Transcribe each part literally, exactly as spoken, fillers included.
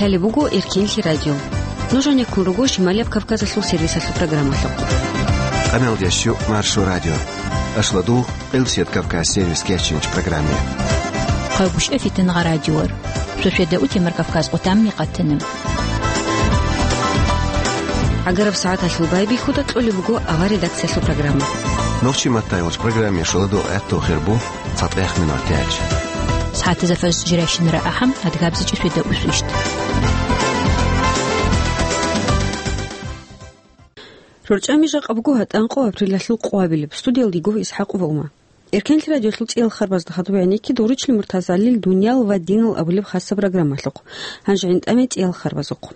Лъалеб буго Эркенлъи радио. Нуж гьанеккун руго Шималияб Кавказалъул сервисалъул программалъухъ. Къамелдящу Маршо радио. Ашладу, Къилсият Кавказ сервис кечинч программе. Хъайбушев Фитнагъа радиор. Сосведа утемар Кавказ къутамни къаттана. ГӀагараб сагӀаталъул байбихьуда кьолеб буго авар редакциялъул программа. Нохчи маттайгъулъ программе шуладу гӀатту хирбу. ЦатӀехъ минутач. СагӀатазда фажр жирайщинара ахӀам, адгабзичӀеб светда усвищт. РорчӀами жакъа буго гьатӀанкъо апрелалъул къвабилеб. Студиялда йиго ИсхӀакъ ва Ума. Эркенлъи радиолъул цӀиял харбазда хадуб гӀенекки Доручли Муртазалил «Дуниял ва динал» абулеб хасаб программалъухъ. Гьанже гӀинтӀаме цӀиял харбазухъ.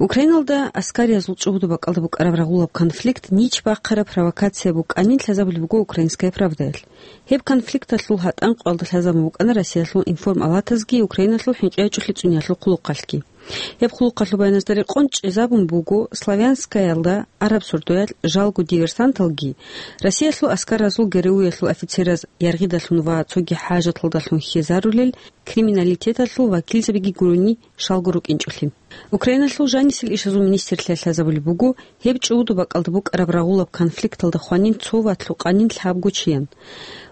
Украиналда аскариязул чӀугӀуду бакӀалда букӀараб рагъулаб конфликт нич бахъараб провокация букӀанин лъазабулеб буго «Украинская правдаялъ». Гьеб конфликталъул гьатӀанкъоялда лъазабун букӀана Россиялъул информалатазги Украиналъул хӀинкъи гьачӀулъи цӀуниялъул хъулухъалъги. Гьеб хъулухъалъул баяназда рекъон чӀезабун буго Славянскаялда араб сордоялъ жалго диверсанталги, Россиялъул аскаразул ГРУ-ялъул офицераз яргъидалъун ва цоги хӀажаталдалъун хьезарулел криминалитеталъул вакилзабиги гурони, шалго рукӀинчӀолъи. Украиналъул жанисел ишазул министрлъиялъ лъазабулеб буго, гьеб чӀугӀуду бакӀалда букӀараб рагъулаб конфликталда хванин цо ва лъукъанин лъабго чиян.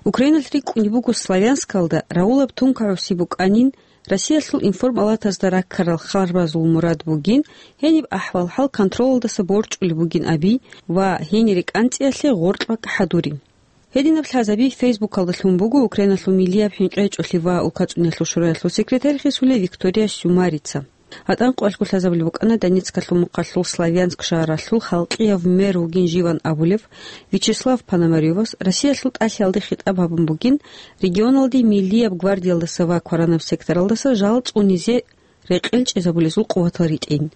Украиналъ рикӀкӀунеб буго Славянскалда рагъулаб тункагӀуси букӀанин, Россиялъул информалатазда раккарал харбазул мурад бугин, гьениб ахӀвал-хӀал контролалдаса борчӀулеб бугин аби ва гьенире кӀанцӀиялъе гъоркь бакӀ хӀадури. Гьединаб лъазаби Фейсбукалда лъун буго Украиналъул миллияб хӀинкъи гьачӀулъи ва улкацӀуниялъул шураялъул секретарь гьесулев Виктория Сюмарица. ГьатӀанкъоялъго лъазабулеб букӀана Донецкалъул мухъалъул Славянск шагьаралъул халкъияв мэр вугин живан абулев Вячеслав Пономарёвас Россиялъул тӀалъиялде хитӀаб гьабун бугин, регионалде миллияб гвардиялдаса ва кваранаб секторалдаса жал цӀунизе рекъел чӀезабулезул къуватал ритӀин.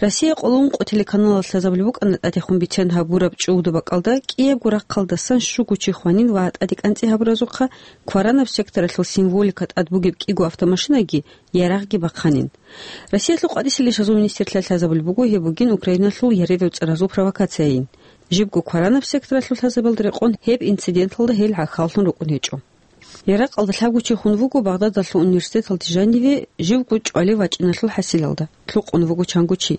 Россия къоло ункъо телеканалалъ лъазабулеб букӀана тӀадехун бицен гьабураб чӀугӀуду бакӀалда кӀиябго рахъалдасан щуго чи хванин ва тӀаде кӀанцӀи гьабуразухъа кваранаб секторалъул символика тӀад бугеб кӀиго автомашинаги ярагъги бахъанин. Россиялъул къватӀисел ишазул министрлъиялъ лъазабулеб буго, гьеб бугин Украиналъул ярерав цӀаразул провокацияйин. Жибго кваранаб секторалъул лъазабиялда рекъон гьеб инциденталда гьел гӀахьаллъун рукӀун гьечӀо. Яракьалда лъабго чи хун вуго Багъдадалъул университеталде жаниве живго чӀвалев вачӀиналъул хӀасилалда. Лъукъун вуго чанго чи.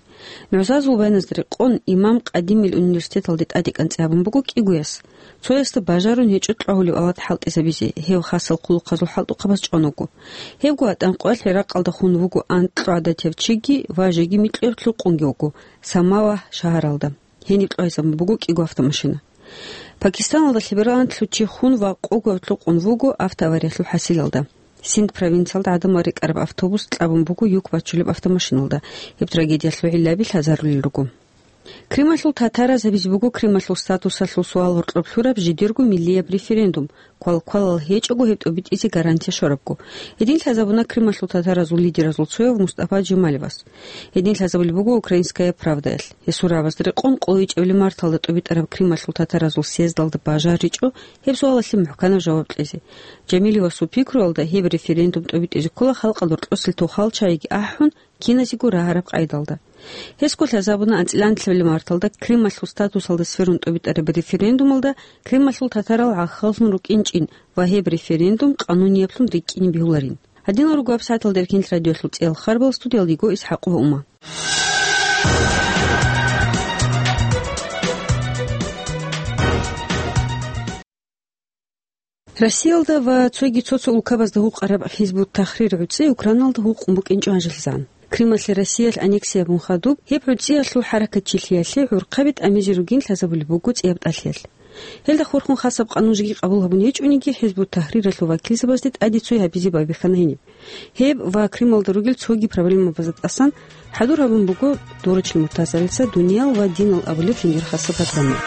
НугӀзазул вайназда рекъон имам Къадимил университеталде тӀаде кӀанцӀи гьабун буго кӀигояс. Цоясда бажарун гьечӀо кьвагьулеб авлад хӀалтӀизабизе, гьев хасал хъулухъазул хӀалтӀухъабаз чӀван вуго. Гьебго гьатӀанкъоялъ Яракьалда хун вуго анкьго гӀадатияв чиги ва жеги микьгӀуб лъукъунги вуго Самавагь шагьаралда. Гьениб кьвайзабун буго кӀиго автомашина. Пакистаналда лъебералантлъи чи хун ва къого лъукъун вуго автоавариялъул хӀасилалда. Синд провинциялда гӀадамал рекӀараб автобус кьабун буго юк бачулеб автомашиналда. Гьеб трагедиялъул гӀиллаби лъазарулел руго. Крималъул татараз гьабизе буго Крималъул статусалъул суал гьоркьоб лъураб жидерго миллияб референдум, квалквалал гьечӀого гьеб тӀобитӀизе гарантия щварабго. Гьедин лъазабуна Крималъул татаразул лидеразул цояв Мустафа Джемалевас. Гьедин лъазабулеб буго «Украинская правдаялъ». Гьесул рагӀабазда рекъон къоло ичӀабилеб марталда тӀобитӀараб Крималъул татаразул съездалда бажаричӀо гьеб суалалъе мухӀканаб жаваб кьезе. Джемалевасул пикруялда гьеб референдум тӀобитӀизе ккола халкъалда рокьосел тухал-чагӀиги ахӀун, киназего рагьараб къайдалда. Гьесго лъазабуна анцӀила нилъабилеб марталда Крималъул статусалда сверун тӀобитӀараб референдумалда Крималъул татарал гӀахьаллъун рукӀинчӀин ва гьеб референдум къанунияблъун рикӀкӀине бегьуларин. Гьадинал руго гьабсагӀаталда Эркенлъи радиоялъул цӀиял харбал, студиялда йиго ИсхӀакъ ва Ума. Россиялда ва цоги цо-цо улкабазда гьукъараб Хизбут-Тахрир гӀуцӀи Украиналда гьукъун букӀинчӀо гьанжелъизан. Крималъе Россиялъ аннексия гьабун хадуб, гьеб гӀуцӀиялъул хӀаракатчилъиялъе гӀурхъаби тӀамизе ругин лъазабулеб буго цӀияб тӀалъиялъ. Гьелда хурхун хасаб къанун жеги къабул гьабун гьечӀониги, Хизбут-Тахриралъул вакилзабазде тӀаде цой гьабизе байбихьана гьениб. Гьеб ва Крималда ругел цоги проблемабазда тӀасан хӀадур гьабун буго Доручли Муртазалица «Дуниял ва динал» абулеб жиндир хасаб программа.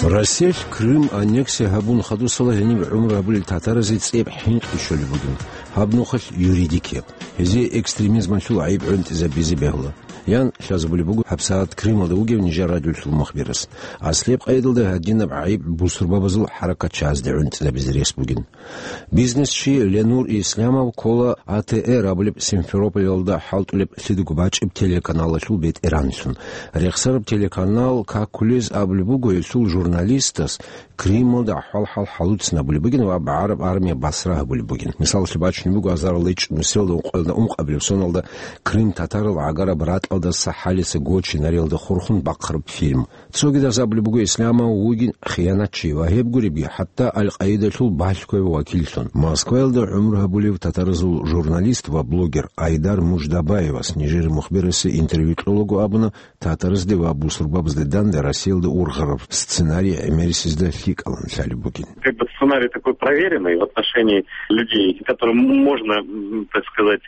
Россиялъ Крым аннексия гьабун хадусала гьениб гӀумру гьабулел татаразе цӀияб хӀинкъи щолеб бугин, гьаб нухалъ юридикияб. Гьезие экстремизмалъул гӀайиб гӀунтӀизабизе бегьула. ян лъазабулеб буго гьабсагӀат Крымалда вугев нижер радиолъул мухбирас. Аслияб къайдалда гьадинаб гӀайиб бусурбабазул хӀаракатчагьазде гӀунтӀизабизе рес бугин. Бизнесчи Ленур Исламов ккола А Т Р абулеб Симферополалда хӀалтӀулеб лъидаго бачӀеб телеканалалъул бетӀеранлъун. Рехсараб телеканал какулез абулеб буго гьелъул журналистас Крымалда ахӀвал-хӀал хӀалуцин абулеб бугин ва БагӀараб армия басра гьабулеб бугин. Мисалалъе бачунеб буго азарилда ичӀнусиялда ункъоялда ункъабилеб соналда Крым татарал гӀагараб ратӀалдаса хӀалица гочинариялда хурхун бахъараб фильм. Цогидаз абулеб буго Исламов вугин хиянатчи ва гьеб гуребги хӀатта Аль-Къаидалъул балъгояб вакиллъун. Москваялда гӀумру гьабулев татаразул журналист ва блогер Айдар Муждабаевас нижер мухбирасе интервью кьолаго абуна, татаразде ва бусурбабазде данде Россиялда ургъараб сценарий гӀемерисезда лъикӀалан лъалеб бугин. Как бы сценарий такой проверенный в отношении людей, которым можно, м, так сказать,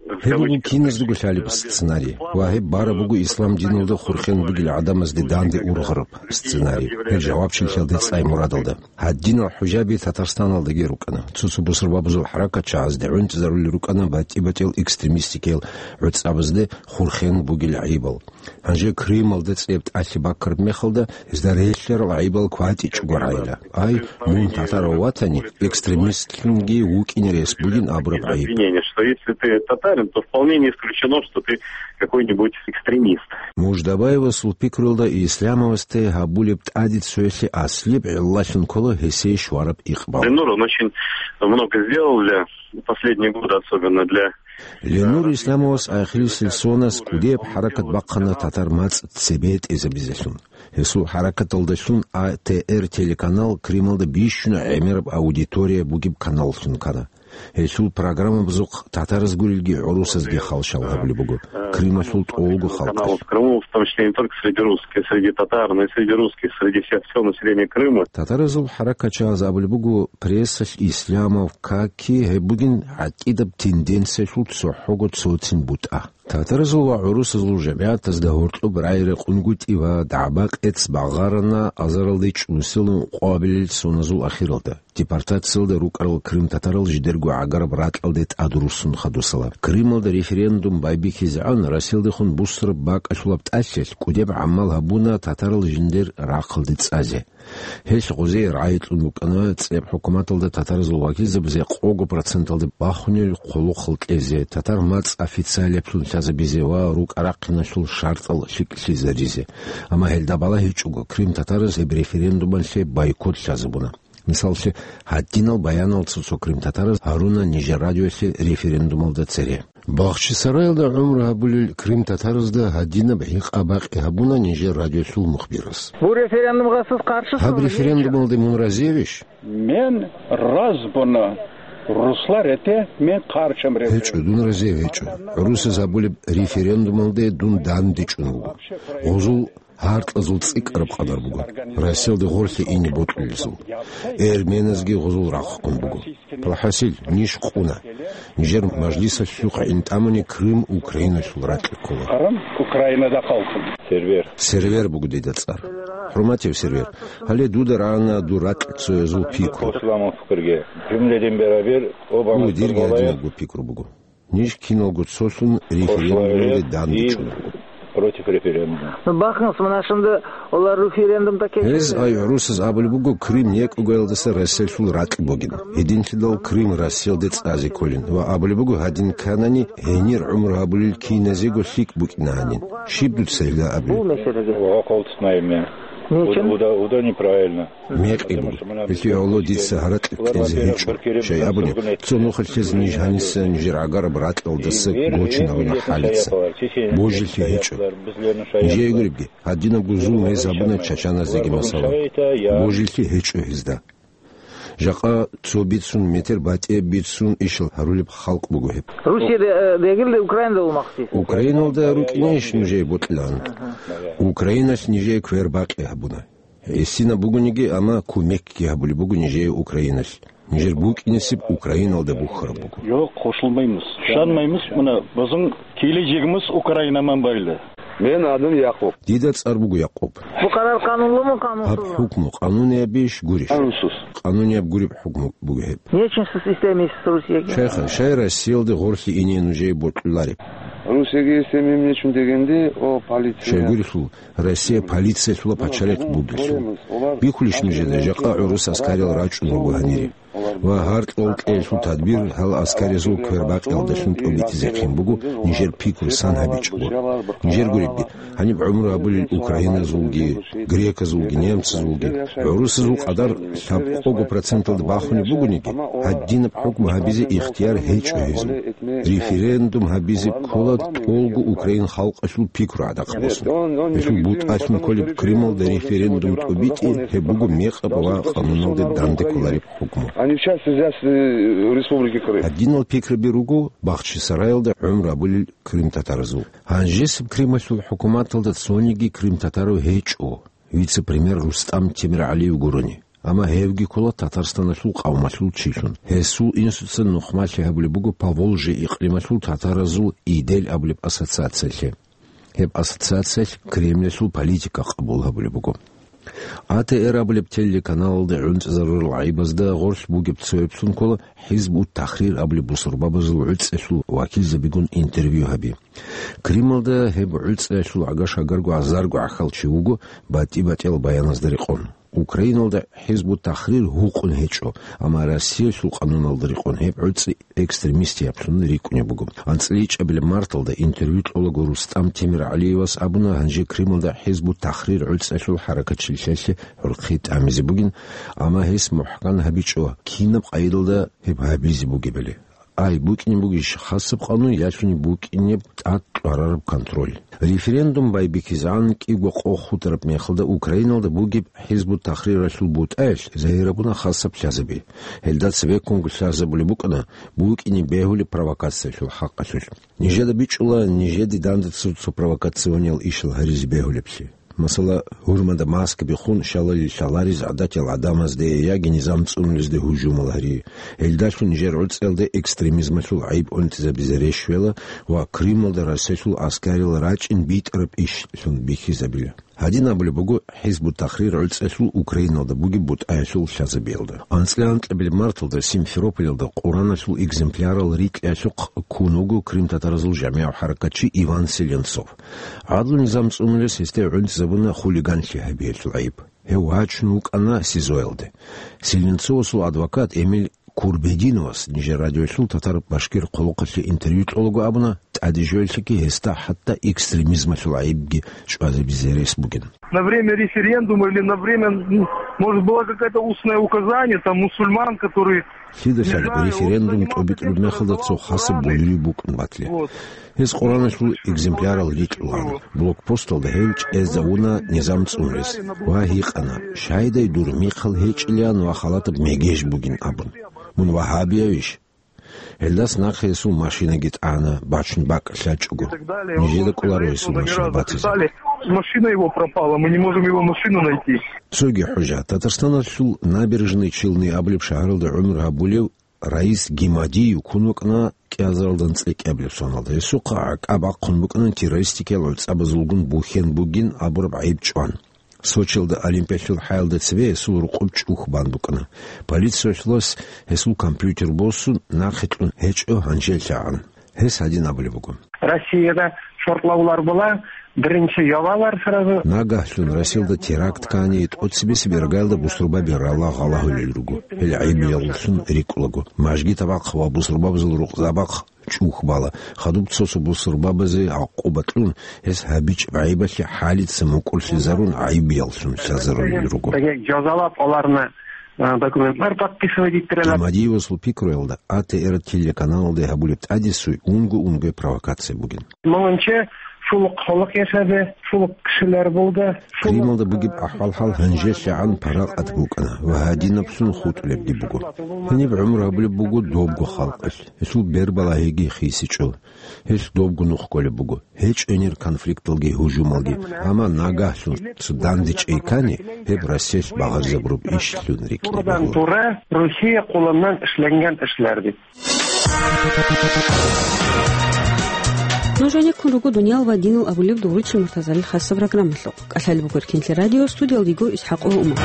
в Гьеб буго кавычках, киназдаго лъалеб сценарий ва гьеб бараб буго ислам диналда хурхен бугел гӀадамазде данде ургъараб сценарий. Гьел жавабчилъиялде цӀай мурадалда. Гьадинал хӀужаби Татарстаналдаги рукӀана. Цо-цо бусурбабазул хӀаракатчагьазде гӀунтӀизарулел рукӀана батӀи-батӀиял экстремистикиял гӀуцӀабазде хурхен бугел гӀайибал. Гьанже Крымалда цӀеб тӀалъи баккараб мехалда, гьезда релълъарал гӀайибал кватӀичӀого рагӀила. Ай, мун татарав ватани, экстремистлъунги вукӀине рес бугин абураб гӀайиб. Обвинение, что если ты татарин, то вполне не исключено, что ты какой-нибудь экстремист. Муждабаевасул пикруялда Исламовасде гьабулеб тӀаде цоялъе аслияб гӀиллалъун ккола гьесие щвараб икъбал. Ленур, он очень много сделал для последние годы, особенно для Ленур Исламовас ахирисел соназ кӀудияб хӀаракат бахъана татар мацӀ цебетӀезабизелъун. Гьесул хӀаракаталдалъун А Т Р телеканал Крымалда бищун гӀемераб аудитория бугеб каналлъун ккана. Гьелъул программабазухъ татараз гурелги гӀурусазги халщал гьабулеб буго, Крымалъул тӀолго халкъалъ. Канал в Крыму, в том числе не только среди русских, среди татар, но и среди русских, среди всех, всего населения Крыма. Татаразул хӀаракатчагьаз абулеб буго, прессалъ Исламов каки гьеб бугин гӀакъидаб тенденциялъул цохӀого цоцин бутӀа. Татаразул ва гӀурусазул жамигӀатазда гьоркьоб рагӀи-рекъунгутӀи ва дагӀба-къец багъарана азаралда чӀунусилан къоабилел соназул ахиралда. Депортациялда рукӀарал крымтатарал жидерго гӀагараб ракьалде тӀадруссун хадусала. Крымалда референдум байбихьизегӀан Россиялдехун бусураб бакӀалъулаб тӀалъилъ кӀудеб гӀамал гьабуна татарал жиндир рахъалде цӀазе. Гьелъ гъозие рагӀи кьун букӀана цӀеб хӀукуматалда татаразул вакилзабазе къого проценталде бахунел хъулухъал кьезе, татар мацӀ официалиблъун лъазабизе ва рукӀа-рахъиналъул шартӀал лъикӀлъизаризе. Амма гьелда балагьичӀого, крымтатараз гьеб референдумалъе бойкот лъазабуна. Мисаллъе, гьадинал баянал цо-цо крымтатараз гьаруна нижер радиоялъе референдумалда цере. Бахчисараялда гӀумру гьабулел крымтатаразда гьадинаб гьикъа-бакъи гьабуна нижер радиолъул мухбирас. Бу референдумгъасыз къарши Гьаб сун референдумалде мун разиявищ? Мен разбуна русла рете, мен къаршам референдум. ГьечӀо, дун разияв гьечӀо. ГӀурусаз гьабулеб референдумалде дун дандечӀун вуго. Гъузул гьаркьазул цӀикӀкӀараб къадар буго. Россиялде гъорлъе ине бокьулезул. Эрменазги гъузул рахъун буго. Палхасил, ниж къуна. Нижер мажлисалъухъ гӀин тӀамани Крым Украиналъул ракье ккола. Къаран Украинада къалкъун. Сервер. Сервер буго дида цӀар. ХӀурматияв Сервер, гьале дуда рагӀана дур ракьцоязул пикру. Исламов пикрге. Жумледин берабер, оба. Гьу, дирги гьадинабго пикру буго. Ниж киналго цолъун референдумалде дандечӀун. Против референдума. Ну, бахъинс, мунашинда олар референдум такие. Гьез ай гӀурусаз абулеб буго Крым некӀогоялдаса Россиялъул ракь бугин. Гьединлъидал Крым Россиялде цӀазе кколин ва абулеб буго гьадин кканани гьенир гӀумру гьабулел киназего лъикӀ букӀина гьанин. Щиб дуца гьелда абулеб? Бу меселеге. Ва къолтнайме. Нечен? Уда, уда, уда неправильно. Мекъи буго. Гьелъие гӀоло дица гьаракь кьезе гьечӀо. Щай абуни, цо нухалъ ниж гьаниса нижер гӀагараб ракьалдаса гочинаруна хӀалица. Божилъи гьечӀо. Нижее гуребги, гьадинабго зулм гьез гьабуна чачаназеги масала. Божилъи гьечӀо гьезда. Жакъа цо бицун метр батӀияб бицун ишал гьарулеб халкъ буго гьеб. Русияда, э, дегилде Украинада вумахъсис. Украиналда рукӀинейищ нужее бокьилан? Аха. Украиналъ нижее квербакъи гьабуна. Гьесинаб бугониги, амма кумекги гьабулеб буго нижее Украиналъ. Нижер букӀинесеб Украиналда бухьараб буго. Йо, къошулмаймус. Шанмаймус, муна, бозун киле жигмус Украинаман байла. Мен адум Якъуб. Дида цӀар буго Якъуб. Бу къарар къанунлуму, къанунсузму? Гьаб хӀукму къануниябищ гурищ? Къанунсуз. Къанунияб гуреб хӀукму буго гьеб. Нечинсус системис Русияги. Шайха, шай Россиялде гъорлъе ине нужее бокьулареб? Русияги семьям нечун дегенде, о, полиция. Щайгурелъул, Россия полициялъула пачалихъ бугелъул. Бихьулищ нужеда, жакъа гӀурус аскариял рачӀун руго гьанире. Ва гьаркьал кьеялъул тадбир гьал аскариязул квербакъиялдалъун тӀобитӀизехъин буго, нижер пикру сан гьабичӀого. Нижер гуребги, гьаниб гӀумру гьабулел украиназулги, греказулги, немцазулги, гӀурусазул къадар лъабкъого проценталда бахунеб бугониги, гьадинаб хӀукму гьабизе ихтияр гьечӀо гьезул. Референдум гьабизе ккола тӀолго украин халкъалъул пикру гӀадахъ босун. Гьелъул бутӀалъун кколеб Крымалда референдум тӀобитӀи, гьеб буго мекъаб ва къануналде данде кколареб хӀукму. Они в части взяты Республики Крым. Гьадинал пикраби руго Бахчисараялда гӀумру гьабулел крымтатаразул. Гьанжесеб Крымалъул хӀукуматалда цониги крымтатарав гьечӀо, вице-премьер Рустам Темиргьалиев гурони. Амма гьевги ккола Татарстаналъул къавмалъул чилъун. Гьесул инсуца нухмалъи гьабулеб буго Поволжье икълималъул татаразул Идел абулеб ассоциациялъе. Гьеб ассоциациялъ Кремльалъул политика къабул гьабулеб буго. А Т Р абулеб телеканалалде гӀунтӀизарурал гӀайибазда гъорлъ бугеб цоябцун ккола ХӀизб ут-Тахрир абулеб бусурбабазул гӀуцӀиялъул вакилзабигун интервью гьаби. Крымалда гьеб гӀуцӀиялъул гӀага-шагарго азарго гӀахьал чи вуго, батӀи-батӀиял баяназда рекъон. Украиналда ХӀизб ут-Тахрир гьукъун гьечӀо, амма Россиялъул къануналда рекъон гьеб гӀуцӀи экстремистияб лъун рикӀкӀунеб буго. АнцӀила ичӀабилеб марталда интервью кьолаго Рустам Темиргьалиевас абуна, гьанже Крымалда ХӀизб ут-Тахрир гӀуцӀиялъул хӀаракатчилъиялъе гӀурхъи тӀамизе бугин, амма гьес мухӀкан гьабичӀо, кинаб къайдалда гьеб гьабизе бугебали. Ай букӀине бугищ хасаб къанун, ялъуни букӀинеб тӀад кьварараб контроль. Референдум байбихьизегӀан кӀиго къо хутӀараб мехалда Украиналда бугеб ХӀизб ут-Тахриралъул бутӀаялъ загьирабуна хасаб лъазаби. Гьелда цебеккунго лъазабулеб букӀана букӀине бегьулеб провокациялъул хӀакъалъулъ. Нижеда бичӀчӀула нижеде данде цо-цо провокациониял ишал гьаризе бегьулеблъи. Масала, гьурмада маскаби хун, щалали лъаларез гӀадатиял гӀадамазде яги низам цӀунулезде гьужумал гьари. Гьелдалъун нижер гӀуцӀиялда экстремизмалъул гӀайиб унтизабизе рещвела ва Крымалда Россиялъул аскарил рачӀин битӀараб ишлъун бихьизабила. Гьадин абулеб буго ХӀизб ут-Тахрир гӀуцӀиялъул Украиналда бугеб бутӀаялъул лъазабиялда. АнцӀила анкьабилеб марталда Симферополалда Къураналъул экземплярал рикьиялъухъ ккун вуго крымтатаразул жамигӀав хӀаракатчи Иван Селенцов. ГӀадлу низам цӀунулес гьесде гӀунтӀизабуна хулиганлъи гьабиялъул гӀайиб. Гьев вачун вукӀана СИЗОялде. Селенцовасул адвокат Эмиль Курбединовас нижер радиоялъул татар-башкир хъулухъалъе интервью кьолаго абуна, тӀадежоялъеги гьесда хӀатта экстремизмалъул гӀайибги чӀвазабизе рес бугин. На время референдума или на время, м, может, было какое-то устное указание, там, мусульман, которые Лъидалъали референдум тӀобитӀулеб мехалда цо хасаб болюлеб букӀун батле. Гьез Къураналъул экземплярал рикьулаан. Блокпосталда гьев чӀезавуна низам цӀунулес ва гьикъана, щайдай дур михъал гьечӀилан ва халатаб мегеж бугин абун. Мун вагьабиявищ? Гьелдас нахъе гьесул машинаги тӀана, бачун бакӀ лъачӀого. Нижеда кӀоларо гьесул машина батизе. Машина его пропала, мы не можем его машину найти. Цоги хӀужа, Татарстаналъул Набережные Челны абулеб шагьаралда гӀумру гьабулев Раис Гимадиев ккун вукӀана кӀиазаралда анцӀила кӀиабилеб соналда. Гьесухъа гӀакъа бахъун букӀана террористикиял гӀуцӀабазулгун бухьен бугин абураб гӀайиб чӀван. Сочиялда Олимпиялъул хӀаялда цебе гьесул рукъоб чӀух бан букӀана. Полициялъулас гьесул компьютер босун, нахъе кьун гьечӀо гьанжеллъагӀан. Гьес гьадин абулеб буго. Россияда шортлавулар була, биринчи явалар сразу. Нагагьлъун Россиялда теракт ккани, тӀоцебесеб иргаялда бусурбаби рала гъалагьулел руго. Гьел гӀайибияллъун рикӀкӀулаго. Мажгит абахъ ва бусурбабазул рукъзабахъ чӀух бала. Хадуб цо-цо бусурбабазе гӀакъуба кьун, гьес гьабичӀеб гӀайибалъе хӀалица мукӀурлъизарун гӀайибияллъун лъазарулел руго. Жазалаб оларна, а, документлар подписывать иттирала. Гимадиевасул пикруялда, А Т Р телеканалалде гьабулеб тӀадесуй унго-унгояб провокация бугин. Мунча шулухъ холокъ яшазе, шулухъ кишилар булга, шулухъ, Крималда бугеб ахӀвал-хӀал гьанжелъагӀан паракъат букӀана ва гьадинаблъун хутӀулебги буго. Гьениб гӀумру гьабулеб буго добго халкъалъ. Гьелъул бербалагьиги хисичӀо. Гьелъ добго нух кколеб буго. ГьечӀо гьенир конфликталги гьужумалги. Амма нагагьлъун цо данде чӀей ккани, гьеб Россиялъ багъаризабураб ишлъун рикӀкӀине бегьула. Тура Россия къуланнан ишланган ишларди. Нуж гӀенеккун руго «Дуниял ва динал» абулеб дугӀручи Муртазалил хасаб программалъухъ. КӀалъалеб буго Эркинлъи радио, студиялда йиго ИсхӀакъ ва Умар.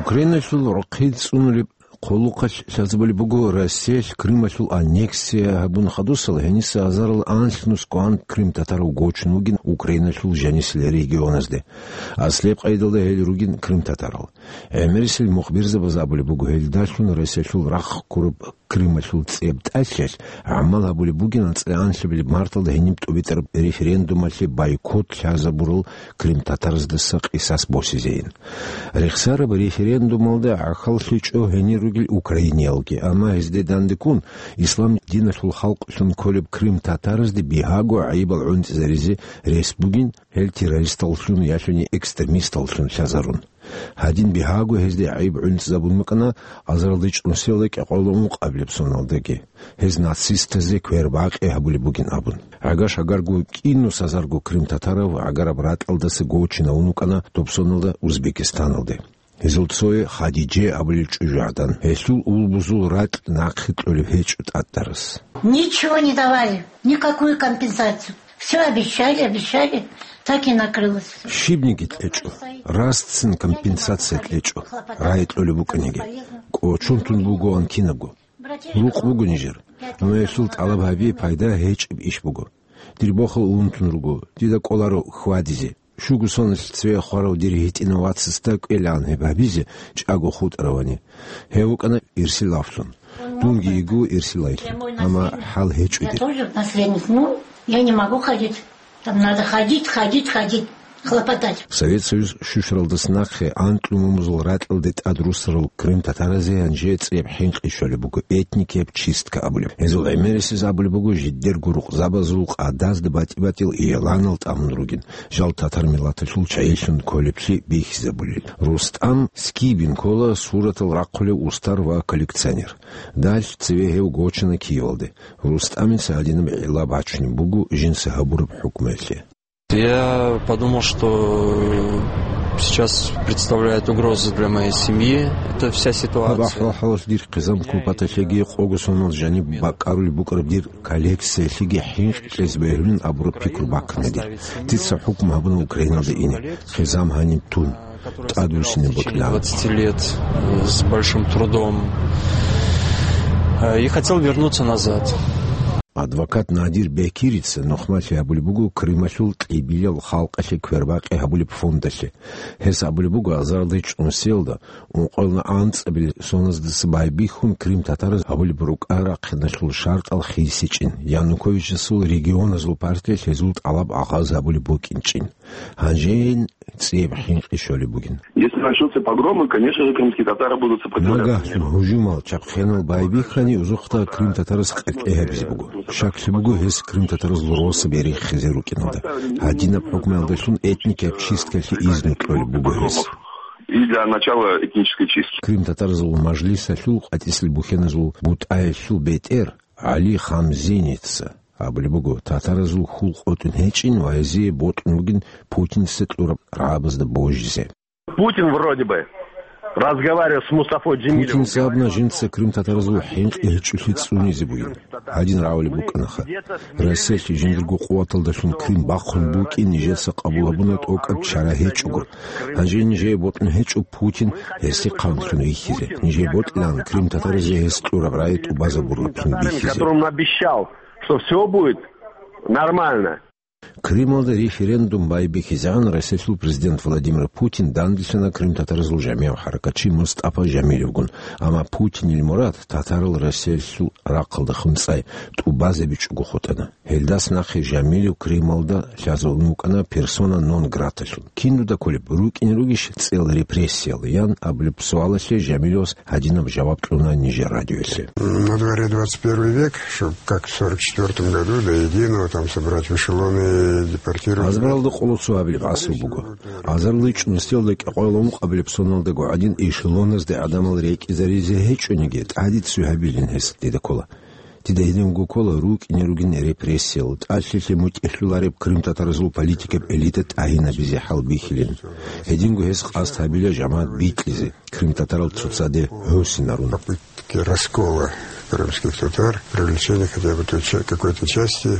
Украиналъул рохъи цӀунулеб хъулухъалъ лъазабулеб буго Россиялъ Крымалъул аннексия гьабун хадусала гьениса азарал анлънус кӀван крымтатарав гочун вугин Украиналъул жанисел регионазде. Аслияб къайдалда гьел ругин крымтатарал. ГӀемерисел мухбирзабаз абулеб буго, гьелдалъун Россиялъул рахъ ккураб Крымалъул цӀеб тӀалъиялъ гӀамал гьабулеб бугин анцӀила анлъабилеб марталда гьениб тӀубитӀараб референдумалъе бойкот лъазабурал крымтатараздаса къисас босизейин. Рехсараб референдумалда гӀахьаллъичӀо гьенир ругел украиниялги, амма гьезде дандеккун ислам диналъул халкълъун кколеб крымтатаразде бигьаго гӀайибал гӀунтӀизаризе рес бугин, гьел террористаллъун ялъуни экстремисталлъун лъазарун. Гьадин бигьаго гьезде гӀайиб гӀунтӀизабун букӀана азаралда чӀунусиялда кӀикъоялда ункъабилеб соналдаги. Гьез нацистазе квербакъи гьабулеб бугин абун. ГӀагар-шагарго кӀинус азарго крымтатарав гӀагараб ратӀалдаса гочинавун вукӀана доб соналда Узбекистаналде. Гьезул цое Хадиже абулел чӀужугӀадан. Гьелъул улбузул ракь нахъе кьолеб гьечӀо тӀатӀарас. Ничего не давали, никакую компенсацию. Все обещали, обещали, так и накрылось. Щибниги кьечӀо, рацин компенсация кьечӀо, рагӀи кьолеб букӀаниги. КӀочон тун бугоан кинабго. Рукъ буго нижер, амма гьелъул тӀалаб гьаби пайда гьечӀеб иш буго. Дир бохал унтун руго, дида кӀоларо хьвадизе. Щуго соналъ цеве хварав дир гьитӀинав вацасда кӀвелаан гьеб гьабизе чӀаго хутӀаравани. Гьев вукӀана ирсилавлъун. Дунги йигу ирсилайлъун, амма хӀал гьечӀо дир. Я тоже наследник. Ну, я не могу ходить. Там надо ходить, ходить, ходить, хлопотать. Совет Союз щущаралдаса нахъе анкьлумумузул ракьалде тӀад руссарал крымтатаразе гьанже цӀияб хӀинкъи щолеб буго, этникияб чистка абулеб. Гьезул гӀемерисез абулеб буго, жидерго рукъзабазул къадазда батӀи-батӀиял игӀланал тӀамун ругин, жал татар миллаталъул чагӀилъун кколеблъи бихьизабулел. РустӀам Скибин ккола суратал рахъулев устар ва коллекционер. Далъ цеве гьев гочана Киевалде. РустӀамица гьадинаб гӀилла бачунеб буго жинца гьабураб хӀукмуялъе. Я подумал, что сейчас представляет угрозу для моей семьи эта вся ситуация. Гьаб ахӀвал-хӀалалъ дир хъизан-купаталъеги къого сонал жаниб бакӀарулеб букӀараб дир коллекциялъеги хӀинкъи кьезе бегьулин абураб пикру баккана дир. Дица хӀукму гьабуна Украиналда ине, хъизан гьаниб тун, тӀадвуссине бокьилаан. Двадцати лет, э, с большим трудом. Э, и хотел вернуться назад. Адвокат Надир Бекирица нухмалъи гьабулеб буго Крымалъул кьибилал халкъалъе квербакъи гьабулеб фондалъе. Гьес абулеб буго, азаралда чӀунусиялда ункъоялда анцӀабилеб соназдаса байбихьун крымтатараз гьабулеб рукӀа рахъиналъул шартӀал хисичӀин, Януковичасул регионазул партиялъ гьезул тӀалаб агъаз гьабулеб букӀинчӀин. Гьанжейин цӀияб хӀинкъи щолеб бугин. Если начнутся погромы, конечно же, крымские татары будут сопротивляться. Нагагьлъун гьужумал чабхъенал байбихьани, узухъда крымтатараз къеркье гьабизе буго. Щаклъи буго гьес крымтатаразул росаби рехизе рукӀиналда. Гьадинаб хӀукмуялдалъун этникияб чисткалъе изну кьолеб буго гьес. И для начала этнической чистки. Крымтатаразул мажлисалъул къватӀисел бухьеназул бутӀаялъул бетӀер ГӀали Хамзиница абулеб буго, татаразул хьул къотӀун гьечӀин ва гьезие бокьун бугин Путинца кьураб рагӀабазда божизе. Путин вроде бы разговаривал с Мустафой Джемилевым. Путинца абуна жинца крымтатаразул хӀинкъи гьечӀолъи цӀунизе бугин. Гьадин рагӀулеб букӀанаха. Россиялъе жиндирго къуваталдалъун Крым бахъун букӀин нижеца къабул гьабуна тӀокӀаб чара гьечӀого. Гьанже нижее бокьун гьечӀо Путин гьесихъанлъун вихьизе. Нижее бокьилаан крымтатаразе гьес кьураб рагӀи тӀубазабураблъун бихьизе. Которым обещал, что всё будет нормально. Крымалда референдум байбихьизегӀан Россиялъул президент Владимир Путин данделъана крымтатаразул жамигӀав хӀаракатчи Мустафа Жамилевгун, амма Путинил мурад татарал Россиялъул рахъалда хунцӀай тӀубазабичӀого хутӀана. Гьелдас нахъе Жамилев Крымалда лъазабун вукӀана персона нон граталъун. Кинуда кколеб, рукӀине ругищ цӀел репрессиял? Ян абулеб суалалъе Жамилевас гьадинаб жаваб кьуна нижер радиоялъе. На дворе двадцать первый век, чтоб как в сорок четвёртом году до единого там собрать в эшелоны и депортировать. Азбаралда къоло цо абилеб гӀаср буго. Азарилай чӀунусиялда кӀикъоялда ункъабилеб соналдаго гӀадин эшелоназде гӀадамал рекӀизаризе гьечӀониги, тӀаде цӀуй гьабилин гьес дида ккола. Дида гьединго ккола рукӀине ругин репрессиял, тӀалъилъе мутӀигӀлъулареб крымтатаразул политикаб элита тӀагьинабизе хӀалбихьилин. Гьединго гьес къасд гьабила жамагӀат бикьизе, крымтатарал цоцаде гьосинарун. Попытки раскола крымских татар, привлечения хотя бы той ча-, какой-то части.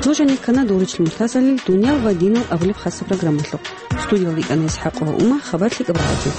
Нуж гьанир ккана дов ричӀчӀил мурталъ «Дуниял ва динал» абулеб хасаб программалъухъ. Студиялда йикӀана ИсхӀакъова Ума, хабар лъикӀаб рагӀаблъи.